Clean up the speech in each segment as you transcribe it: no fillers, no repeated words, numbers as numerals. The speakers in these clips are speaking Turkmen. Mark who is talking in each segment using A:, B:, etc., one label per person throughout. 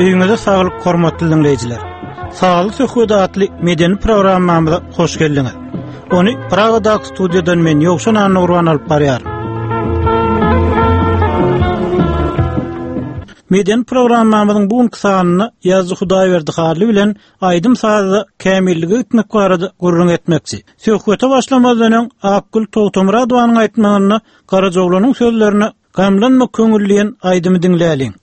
A: Öýüňize saglyk hormatly diňleýjiler. Sagly söhbet atly medeni programmamyza hoş geldiňiz. Ony Pragadaky studiýadan men Ýowşan Annagurban alyp barýaryn. Medeni programmamyzyň bu günki sanynda ýazyjy Hudaýberdi Hally bilen aýdym-sazda kämillige gitmek barada gürrüň etmekçi. Söhbete başlamazdan öň Akgül Togtamyradowanyň aýtmagynda Garajaoglanyň sözlerine Gamlanma köňül diýen aýdymy diňläliň.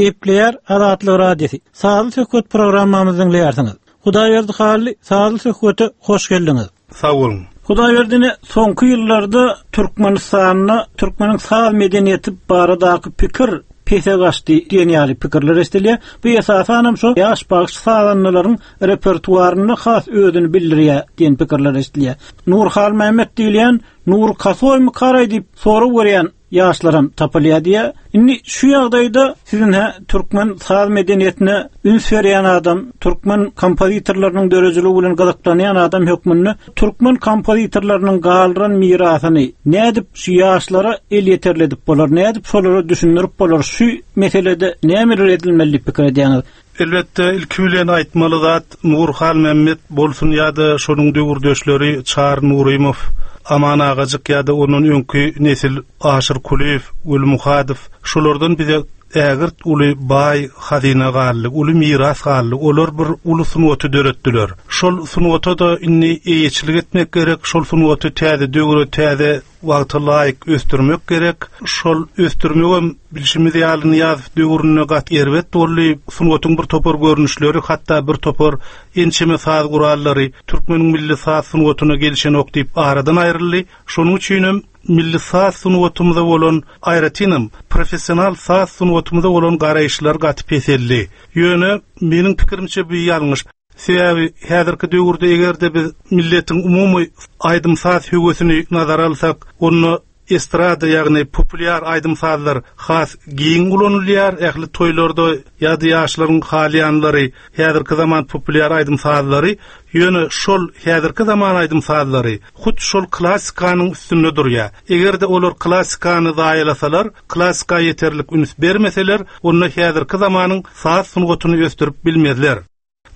A: Gepleýär Azatlyk Radiosy. Sazly söhbet programmamyzy diňleýärsiňiz. Hudaýberdi Hally, sazly söhbete hoş geldiňiz.
B: Sag boluň.
A: Hudaýberdi ine soňky ýyllarda Türkmenistanda türkmeniň saz medeniýeti baradaky pikir pese gaçdy diýen ýaly pikirler eşidilýär. Bu esasanam şo ýaş bagşy sazandalaryň repertuarynda has özüni bildirýär diýen pikirler eşidilýär. Nury Halmämmet diýilýän Nury Kasoými karaý diýip sorag berýän ýaşlaram tapylýar diýýär. Indi şu ýagdaýda siz ine türkmen saz medeniýetine üns berýän adam, türkmen kompozitorlarynyň döredijiligi bilen gyzyklanýan adam hökmünde türkmen kompozitorlarynyň galdyran mirasyny nädip şu ýaşlara elýeterli edip bolar, nädip şolara düşündirip bolar, şu meselede nämeler edilmeli diýip pikir edýäňiz?
B: Elbetde, ilki bilen aýtmaly zat, Nury Halmämmet bolsun ýa-da şonuň döwürdeşleri Çary Nurymow, Aman Agajyk ýa-da ondan öňki nesil Aşyr Kulyýew, Weli Muhadow, şolardan bize ägirt uly baý hazyna galdy, uly miras galdy. Olar bir uly sungaty döretdiler. Şol sungata-da indi eýeçilik etmek gerek, şol sungaty täze döwre, täze wagta laýyk ösdürmek gerek. Şol ösdürmegem bilşimiz ýaly Nyýazow döwründe gaty erbet boldy. Sungatyň bir topar görnüşleri, hatda bir topar ençeme saz gurallary türkmeniň milli saz sungatyna gelşenok diýip aradan aýryldy. Şonuň üçinem milli saz sungatymyza bolan, aýratynam, professional saz sungatymyza bolan garaýyşlar gaty peseldi. Ýöne, meniň pikirimçe bu ýalňyş. Sebäbi häzirki döwürde eger-de biz milletiň umumy aýdym-saz höwesini nazara alsak, onda estrada, ýagny populýar aýdym-sazlar has giň ulanylýar, ähli toýlarda ýa-da ýaşlaryň halaýanlary häzirki zaman populýar aýdym-sazlary, ýöne şol häzirki zaman aýdym-sazlary hut şol klassikanyň üstünde durýar. Eger-de olar klassikany zaýalasalar, klassika ýeterlik üns bermeseler, onda häzirki zamanyň saz sungatyny ösdürip bilmezler.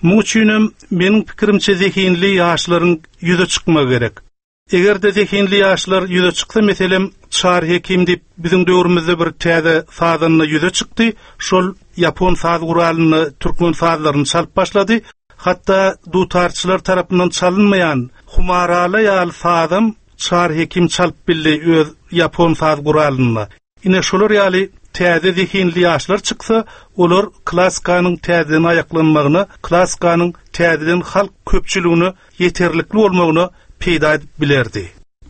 B: Muň üçinem, meniň pikirimçe zehinli ýaşlaryň ýüze çykmagy gerek. Eger-de zehinli ýaşlar ýüze çyksa, meselem, Çary Hekim diýip biziň döwrümizde bir täze sazanda ýüze çykdy, şol ýapon saz guralynda türkmen sazlaryny çalyp başlady. Hatda dutarçylar tarapyndan çalynmaýan Humarala ýaly sazam Çary Hekim çalyp bildi öz ýapon saz guralynda. Ine şolar ýaly täze zehinli ýaşlar çyksa, olar klassikanyň täzeden aýaklanmagyna, klassikanyň täzeden halk köpçüligine ýeterlikli bolmagyna peýda edip bilerdi.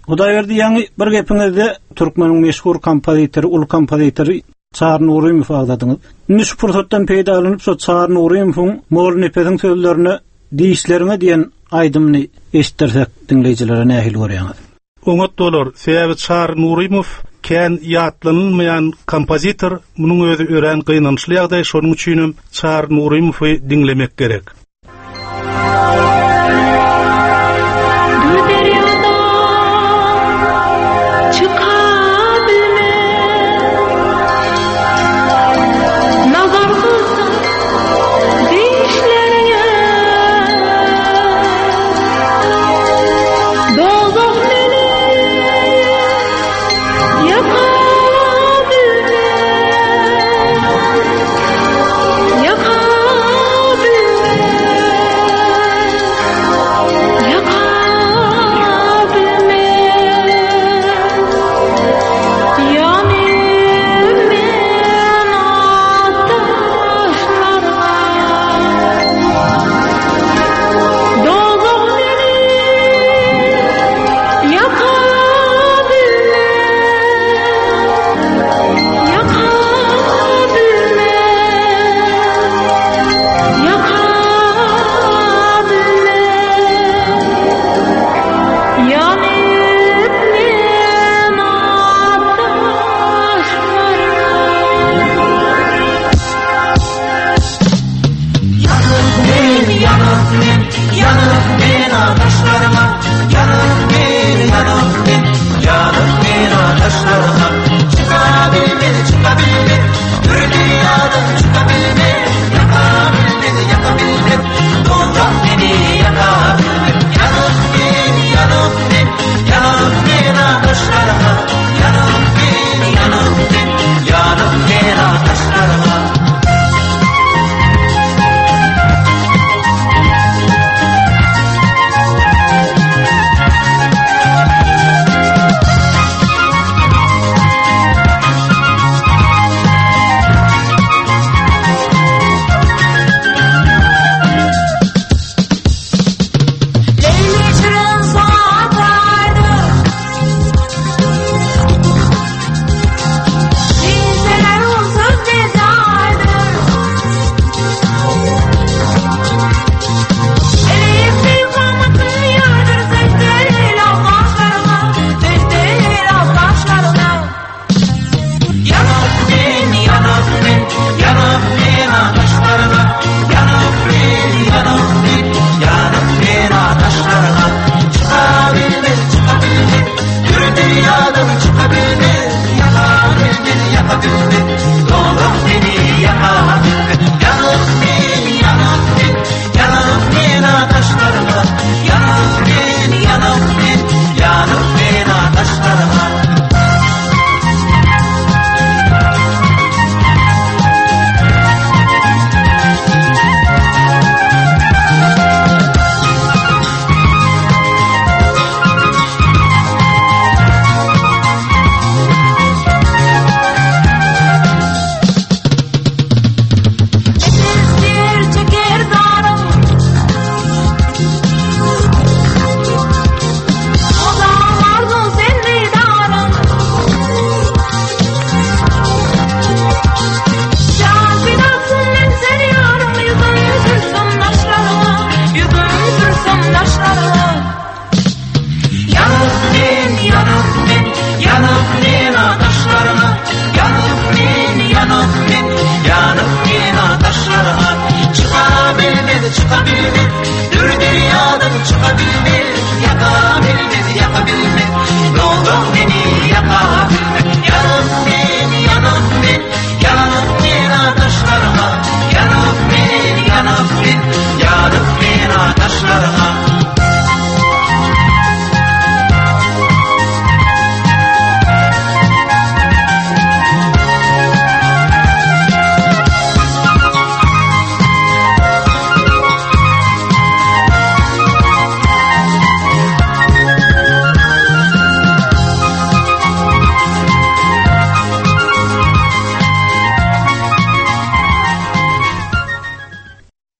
A: Hudaýberdi ýaňy bir gepiňizde türkmeniň meşhur kompozitory, uly kompozitory Çary Nurymowy agzadyňyz. Indi şu pursatdan peýdalanyp şo Çary Nurymowyň Mollanepesiň sözlerine Dişleriňe diýen aýdymyny eşitdirsek diňleýjilere nähili görýäňiz?
B: Oňat bolar, sebäbi Çary Nurymow kän ýatlanylmaýan kompozitor, munuň özi örän gynançly ýagdaý, şonuň üçinem Çary Nurymowy diňlemek gerek.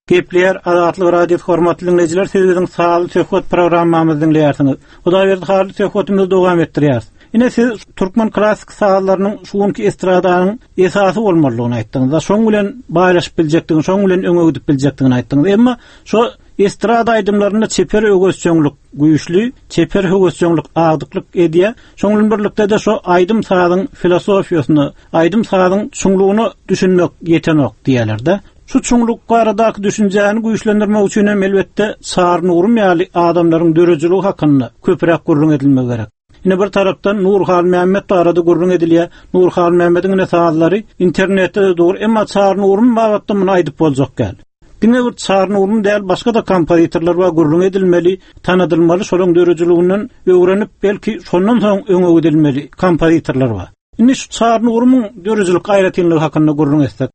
A: Gepleýär Azatlyk Radiosy hormatly diňleýjiler siz biziň sazly söhbet programmamyzy diňleýärsiňiz. Hudaýberdi Hally söhbetimizi dowam etdirýäris. Ine siz türkmen klassyk sazlarynyň şu günki estradanyň esasy bolmalydygyny aýtdyňyz. Şoň bilen baýlaşyp biljekdigini, şoň bilen öňe gidip biljekdigini aýtdyňyz. Emma şo estrada aýdymlarynda çeper öwezçeňlik güýçli, çeper höwesjeňlik agdyklyk edýär. Şoň bilen birlikde-de şo aýdym-sazyň filosofiýasyna, aýdym-sazyň çuňlugyna düşünmek ýetenok diýýärler-de. Şu çuňluk baradaky düşünjäni güýçlendirmek üçin hem elbetde Çary Nurum ýaly adamlaryň döredijiligi hakynda köpräk gürrüň edilmegi gerek. Ine bir tarapdan Nury Halmämmet barada gürrüň edilýär. Nury Halmämmediň ine sazlary internetde-de dur, emma Çary Nurum babatda muny aýdyp boljak däl. Diňe bir Çary Nurum däl, başga-da kompozitorlar bar gürrüň edilmeli, tanadylmaly, şolaryň döredijiliginden öwrenip, belki şondan soň öňe gidilmeli kompozitorlar bar. Indi şu Çary Nurumyň döredijilik aýratynlygy hakynda gürrüň etsek.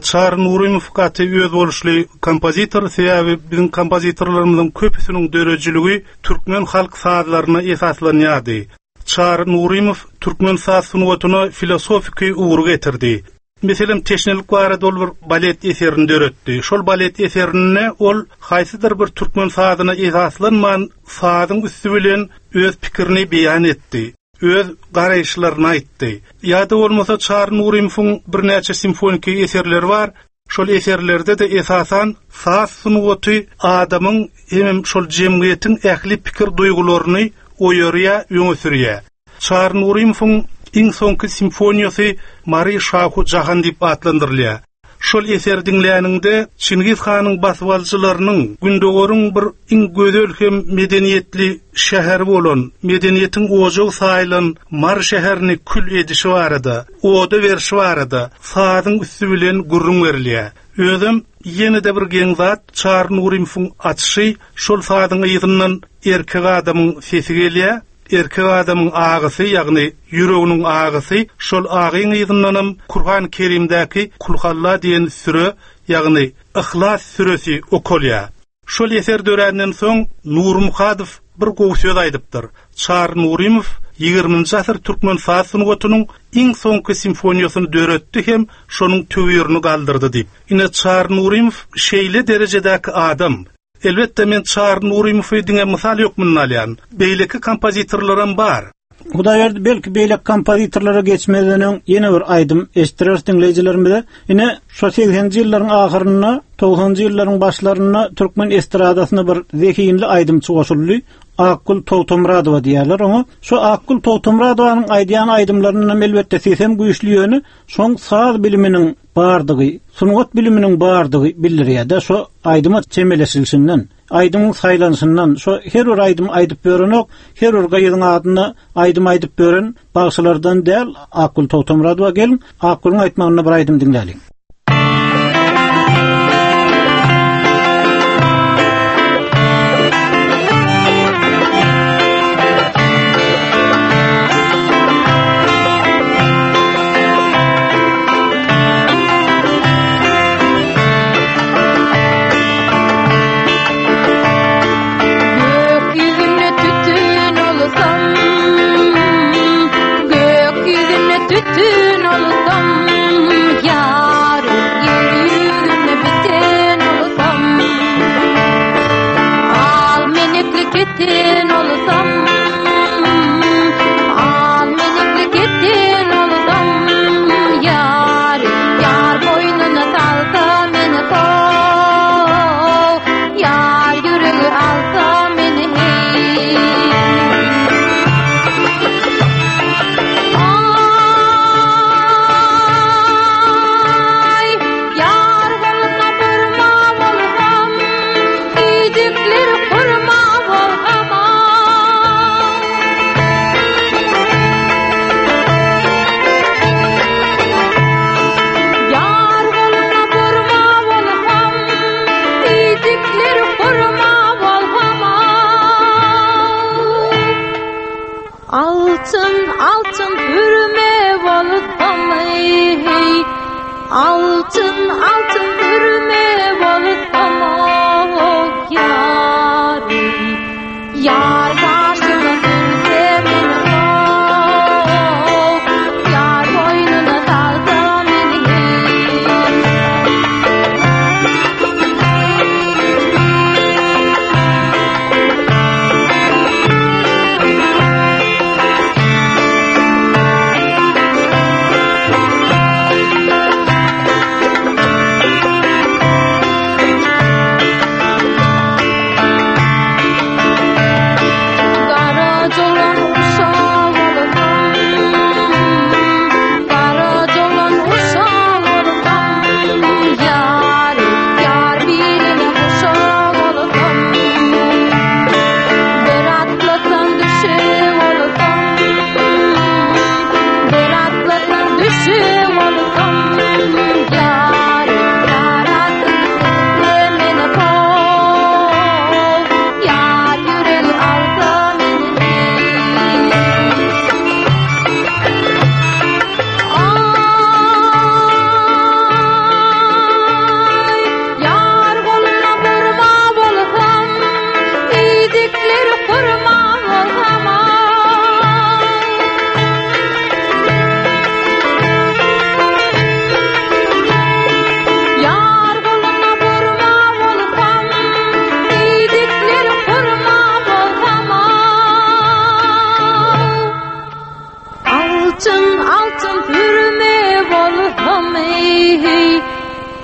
B: Çary Nurymow gaty özboluşly kompozitor, sebäbi biziň kompozitorlarymyzyň köpüsiniň döredijiligi türkmen halk sazlaryna esaslanýardy. Çary Nurymow türkmen saz sungatyna filosofiki ugry getirdi. Meselem, teşnelik barada ol bir balet eserini döretdi. Şol balet eserinde ol haýsydyr bir türkmen sazyna esaslanman, sazyň üsti bilen öz pikirini beýan etdi. Öz garaýyşlaryny aýtdy. Ýa-da bolmasa Çary Nurymowyň birnäçe simfoniki eserleri bar. Şol eserlerde-de esasan saz sungaty adamyň hemem şol jemgyýetiň ähli pikir-duýgularyny oýarýar, öňe sürýär. Çary Nurymowyň iň soňky simfoniýasy Mary Şahu Jahan diýip atlandyrylýar. Şol eseri diňläniňde, Çingiz hanyň basybalyjylarynyň Gündogaryň bir iň gözel hem medeniýetli şäheri bolan, medeniýetiň ojagy saýylan Mary şäherini kül edişi barada, oda berşi barada sazyň üsti bilen gürrüň berilýär. Özem, ýene-de bir geň zat, Çary Nurymowyň açyşy, şol sazyň yzyndan erkek adamyň sesi gelýär, Erkek adamyň agysy, ýagny ýüreginiň agysy, şol agyň yzyndanam Kurhan Kerimdäki Kulhalla diýen süre, ýagny Yhlas süresi okalýar. Şol eser döränden soň Nury Muhadow bir gowy söz aýdypdyr, Çary Nurymow ýigriminji asyr türkmen saz sungatynyň iň soňky simfoniýasyny döretdi hem şonuň töwirini galdyrdy diýip. Ine Çary Nurymow şeýle derejedäki adam. Elbetde men Çary Nurymowy diňe mysal hökmünde alýan. Beýleki kompozitorlaram bar.
A: Hudaýberdi belki beýleki kompozitorlara geçmezden öň ýene bir aýdym eşitdireris diňleýjilerimize. Ine şo segseninji ýyllaryň ahyrynda, togsanynjy ýyllaryň başlarynda türkmen estradasyna bir zehinli aýdymçy goşuldy. Akgül Togtamyradowa diýýärler oňa. Şo Akgül Togtamyradowanyň aýdýan aýdymlaryndan elbetde sesem güýçli ýöne şoň saz biliminiň bardygy, sungat biliminiň bardygy bildirýär-de, şo aýdyma çemeleşilişinden, aýdymyň saýlanyşyndan, şo her bir aýdymy aýdyp ýörenok, her bir gyzyň adyna aýdym aýdyp ýören bagşylardan däl Akgül Togtamyradowa geliň, Akgülüň aýtmagynda bir aýdym diňläliň.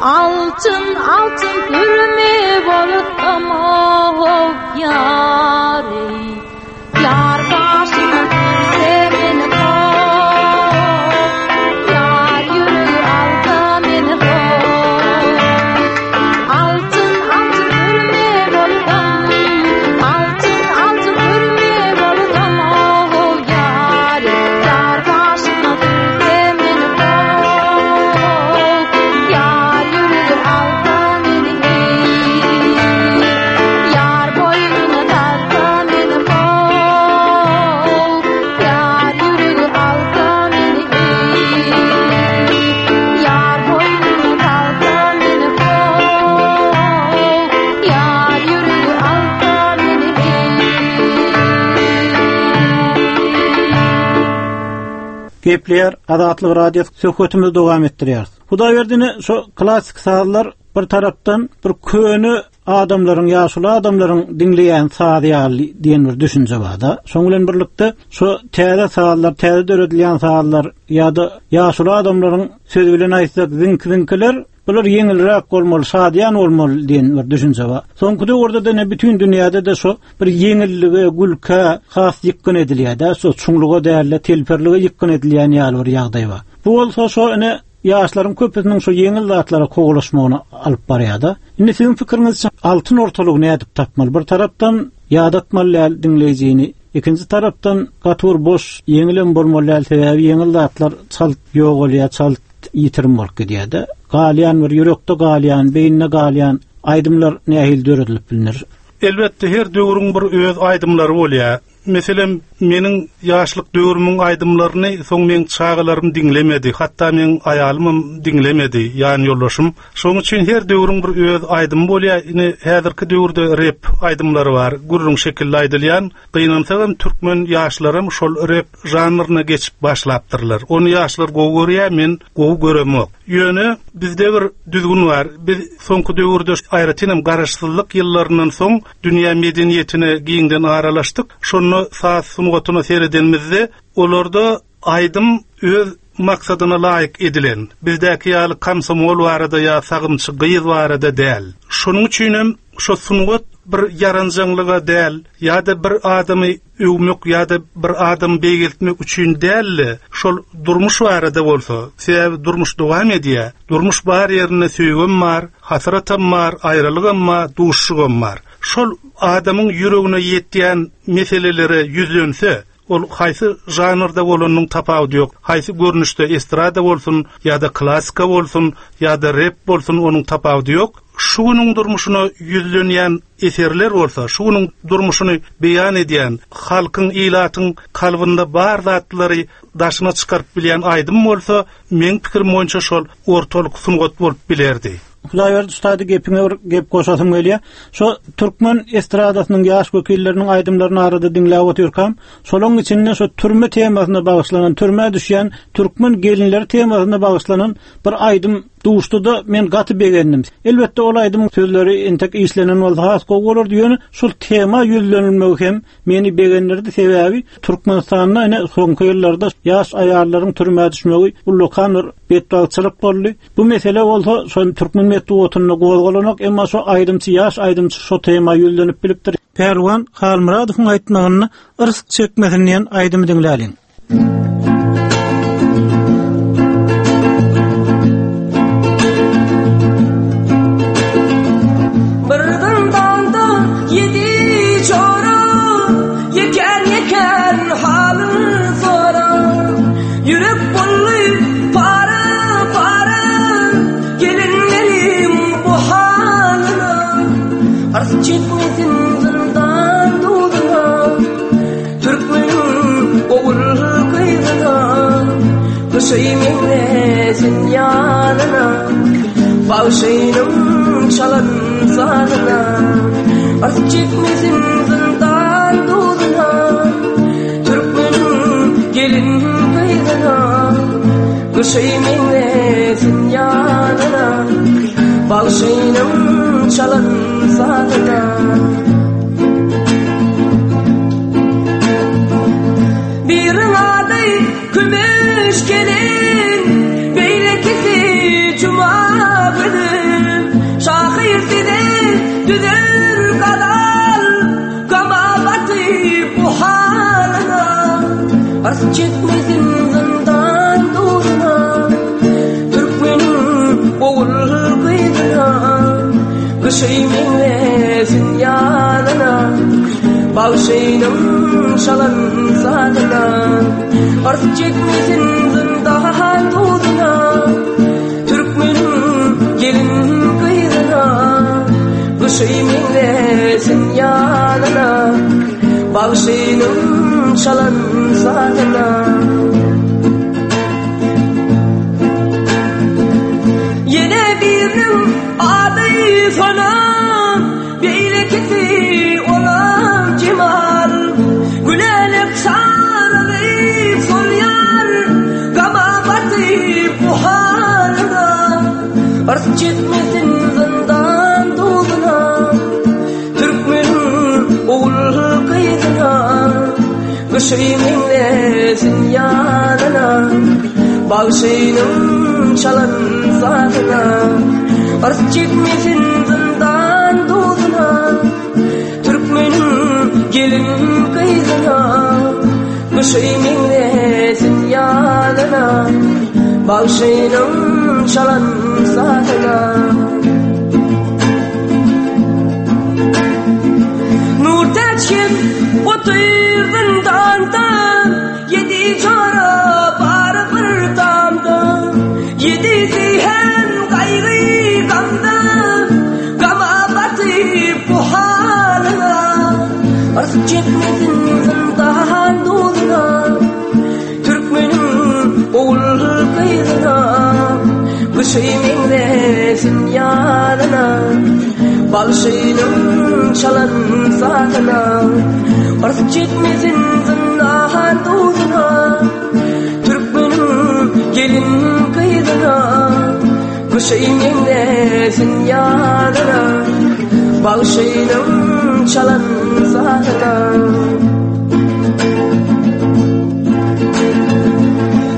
C: Altyn altyn pürme bolsam oh ýar eý. Ýar gaşyna sürse meni ho, Ýar ýüregi alsa meni ho. Altyn altyn pürme bolsam, Altyn altyn pürme bolsam oh ýar eý. Ýar gaşyna sürse meni ho, Ýar ýüregi alsa meni eý. Ýar boýnuna salsa meni ho, Ýar ýüregi alsa meni eý. Ýar boýnuna salsa meni ho, Ýar ýüregi alsa meni eý.
A: Gepleýär Azatlyk Radiosy söhbetimizi dowam etdirýäris. Hudaýberdi ine şo klassyk sazlar bir tarapdan bir köne adamlaryň ýaşuly adamlaryň diňleýän sazy ýaly diýen bir düşünje barda. Şoň bilen birlikde şo täze sazlar, täze döredilýän sazlar ýa-da ýaşuly adamlaryň sözi bilen aýtsak ziňki-ziňkiler Bular ýeňilräk bolmaly, şadyýan bolmaly diýen bir düşünje bar. Soňky döwürde-de ine bütin dünýäde-de şo bir ýeňillige, gülkä has ýykgyn edilýär-dä, şo çuňluga däl-de, telperlige ýykgyn edilýän ýaly bir ýagdaý bar. Bu bolsa şo ine ýaşlaryň köpüsiniň şo ýeňil zatlara kowalaşmagyna alyp barýar-da. Indi siziň pikiriňizçe altyn ortalygy nädip tapmaly? Bir tarapdan ýadatmaly däl diňleýjini, ikinji tarapdan gaty bir boş, ýeňilem bolmaly däl, sebäbi ýeňil zatlar çalt ýogalýar, çalt ýitirim bolup gidýär-de. Galýan bir ýürekde galýan, beýnide galýan aýdymlar nähili döredilip bilner?
B: Elbetde her döwrüň bir öz aýdymlary bolýar. Meselem, meniň ýaşlyk döwrümiň aýdymlaryny soň meň çagalarym diňlemedi, hatda meň aýalymam diňlemedi, ýanýoldaşym. Şonuň üçin her döwrüň bir öz aýdymy bolýar. Ine, häzirki döwürde rep aýdymlary bar, gürrüň şekilli aýdylýan. Gynansagam türkmen ýaşlaram şol rep žanryna geçip başlapdyrlar. Ony ýaşlar gowy görýär, men gowy göremok. Ýöne bizde bir düzgün bar. Biz soňky döwürde, aýratynam garaşsyzlyk ýyllaryndan soň dünýä medeniýetine giňden aralaşdyk. Şonda saz sungatyna seredenimizde, olarda aýdym öz maksadyna laýyk edilen, bizdäki ýaly komsomol barada ýa sagymçy gyz barada däl. Şonuň üçinem şo sungat bir ýaranjaňlyga däl ýa-da bir adamy öwmek ýa-da bir adamy beýgeltmek üçin däl-de, şol durmuş barada bolsa, sebäbi durmuş dowam edýär, durmuş bar ýerinde söýgem bar, hasratam bar, aýralygam bar, duşuşygam bar. Şol adamyň ýüregine ýetýän meselelere ýüzlense, Ol haýsy žanrda bolanynyň tapawudy ýok. Haýsy görnüşde estrada bolsun ýa-da klassika bolsun ýa-da rep bolsun onuň tapawudy ýok. Şu günüň durmuşyna ýüzlenýän eserler bolsa, şu günüň durmuşyny beýan edýän, halkyň, ilatyň kalbynda bar zatlary daşyna çykaryp bilýän aýdym bolsa, meň pikirim boýunça şol ortalyk sungat bolup bilerdi.
A: Hudaýberdi ustady gepiňe bir gep goşasym gelýär. Şo türkmen estradasynyň ýaş wekilleriniň aýdymlaryny arada diňläp otyrkam, şolaň içinde şo türme temasyna bagyşlanan, türmä düşýän türkmen gelinleri temasyna bagyşlanan bir aýdym duşdy-da, men gaty begendim. Elbetde ol aýdymyň sözleri entek işlenen bolsa has gowy bolardy, ýöne şol tema ýüzlenilmegi hem Meni begendirdi, sebäbi Türkmenistanda ine soňky ýyllarda ýaş aýallaryň türmä düşmegi ullakan bir betbagtçylyk boldy. Bu mesele bolsa şol türkmen metbugatynda gozgalanok, emma şo aýdymçy ýaş aýdymçy şo tema ýüzlenip bilipdir. Pälwan Halmyradowyň aýtmagynda Yrsg çekmesin diýen aýdymy diňläliň.
D: Bir zyndanda ýedi jora, Ýekän-ýekän halyn sorar. Ýürek boldy para-para, Gelinleriň bu halyna. Ars çekmesin zyndan duzuna. Türkmeniň ogul gyzyna Gyşy meňzesin ýazyna Bagşynyň çalan sazyna Ars çekmesin zyndan duzuna Türkmeniň gelin gyzyna Gyşy meňzesin ýazyna Bagşynyň çalan sazyna Biriň ady Kümüş gelin, beýlekisi Juma gelin. Ars çekmesin zyndan duzuna Türkmeniň ogul gyzyna Gyşy meňzesin ýazyna Bagşynyň çalan sazyna Ars çekmesin zyndan duzuna Türkmeniň gelin gyzyna Gyşy meňzesin ýazyna Bagşynyň çalan sazyna Ýene biriniň ady Sona Beýlekisi olam Jemal Gülälek saralyp solýar Gama batyp bu halyna Yrs çekmesin zyndan duzuna Türkmeniň ogul gyzyna Gyşy meňzesin ýazyna Bagşynyň çalan sazyna Yrs çekmesin zyndan duzuna Türkmeniň gelin gyzyna Gyşy meňzesin ýazyna Bagşynyň çalan sazyna Nurtäç hem otyr zyndanda Ýedi jora bar bir tamda Ýedisi hem gaýgy gamda Gama batyp bu halyna Yrs çekmesin zyndan duzuna Türkmeniň ogul gyzyna Gyşy meňzesin ýazyna Bagşynyň çalan sazyna Yrs çekmesin zyndan duzuna Türkmeniň gelin gyzyna Gyşy meňzesin ýazyna Bagşynyň çalan sazyna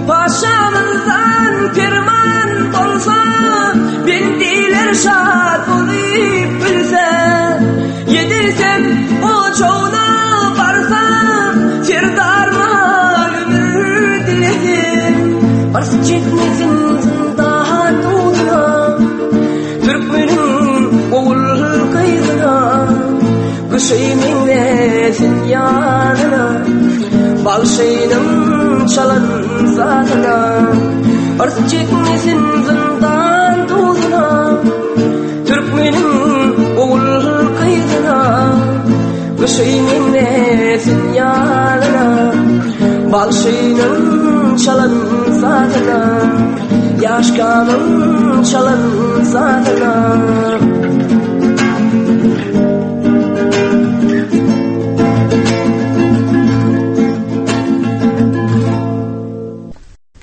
D: Paşamyzdan perman bolsa Bendiler şat bolup bilse Ýedirsem ojagyna barsa Serdaryma ömür diledim Yrs çekmesin zyndan duzuna Türkmeniň ogul gyzyna Gyşy meňzesin ýazyna Bagşynyň çalan sazyna Yrs çekmesin zyndan duzuna Türkmeniň ogul gyzyna Gyşy meňzesin ýazyna Bagşynyň çalan sazyna Ýaşkanyň çalan sazyna.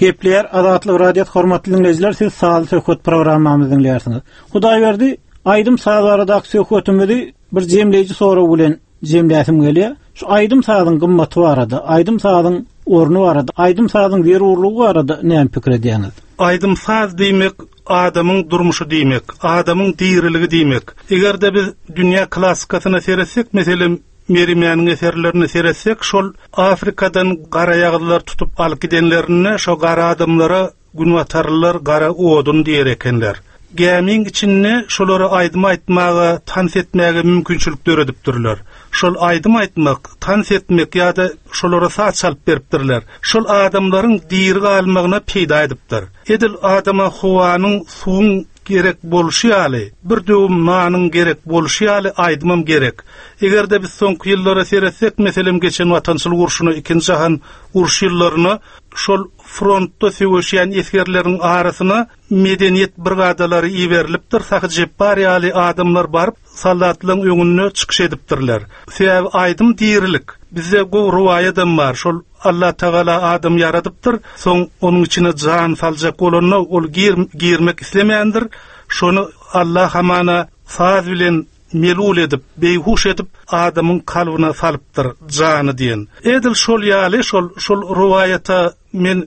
A: Gepleýär Azatlyk Radiosy hormatly diňleýjiler siz sazly söhbet programmamyzy diňleýärsiňiz. Hudaýberdi aýdym saz baradaky söhbetimizi bir jemleýji sorag bilen jemläsim gelýär. Şu aýdym sazyň gymmaty barada, aýdym sazyň orny barada, aýdym sazyň zerurlygy barada näme pikir edýäňiz?
B: Aýdym saz diýmek adamyň durmuşy diýmek, adamyň diriligi diýmek. Eger-de biz dünýä klassykasyna seretsek, meselem, Merimäniň eserlerine seretsek, şol Afrikadan garaýagyzlar tutup alyp gidenlerinde şo gara adamlara günbatarlylar gara odun diýer ekenler. Gämiň içinde şolara aýdym aýtmaga, tans etmäge mümkinçilik döredipdirler. Şol aýdym aýtmak, tans etmek ýa-da şolara saz çalyp beripdirler. Şol adamlaryň diri galmagyna peýda edipdir. Edil adama howanyň, suwuň gerek bolşy ýaly, bir döwüm nanyň gerek bolşy ýaly aýdymam gerek. Eger-de biz soňky ýyllara seretsek, meselem, geçen Watançylyk urşuna, Ikinji jahan urşy ýyllaryna şol frontda söweşýän esgerleriň arasyna medeniýet brigadalary iberilipdir, Sahy Jepbar ýaly adamlar baryp, soldatlaryň öňünde çykyş edipdirler. Sebäbi aýdym dirilik. Bizde gowy rowaýadam bar, şol Allatagala adamy ýaradypdyr, soň onuň içine jan saljak bolanda ol gir girmek islemändir, şony Alla hamana saz bilen melul edip, beýhuş edip adamyň kalbyna salypdyr jany diýen. Edil şol ýaly şol şol rowaýata men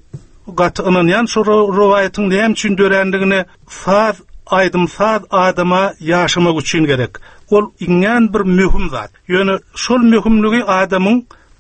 B: gaty ynanýan şol rowaýatyň näme üçin dörändigine saz aýdym saz adama ýaşamak üçin gerek. Ol iňňän bir möhüm zat. Ýöne şol möhümligi adamyň.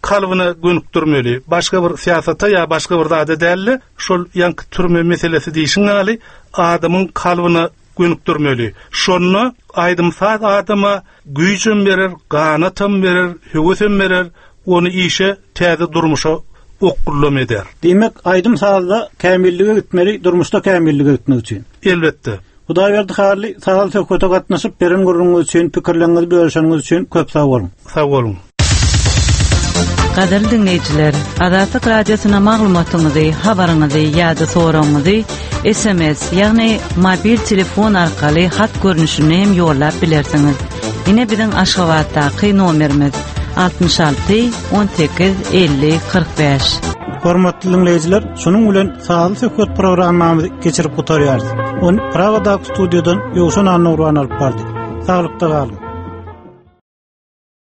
B: kalbyna gönükdirmeli. Başga bir syýasata ýa başga bir zada däl-de, şol ýaňky türme meselesi diýşiň ýaly, adamyň kalbyna gönükdirmeli. Şonda aýdym-saz adama güýjem berer, ganatam berer, höwesem berer, ony işe, täze durmuşa okgullam eder.
A: Diýmek, aýdym-sazda kämillige gitmeli, durmuşda kämillige gitmek üçin.
B: Elbetde.
A: Hudaýberdi Hally, sazly söhbete gatnaşyp, beren gürrüňiňiz üçin, pikirleriňizi bölüşeniňiz üçin köp sag boluň!
B: Sag boluň!
E: Gadyrly diňleýjiler, Azatlyk Radiosyna maglumatyňyzy, habaryňyzy ýa-da soragyňyzy sms, ýagny mobil telefon arkaly hat görnüşinde hem ýollap bilersiňiz. Ine biziň Aşgabatdaky nomerimiz, 66 18 50 45.
A: Hormatly diňleýjiler, şunuň bilen Sazly söhbet programmamyzy geçirip gutarýarys. Ony Pragadaky studiýadan Ýowşan Annagurban alyp bardy. Saglykda galyň!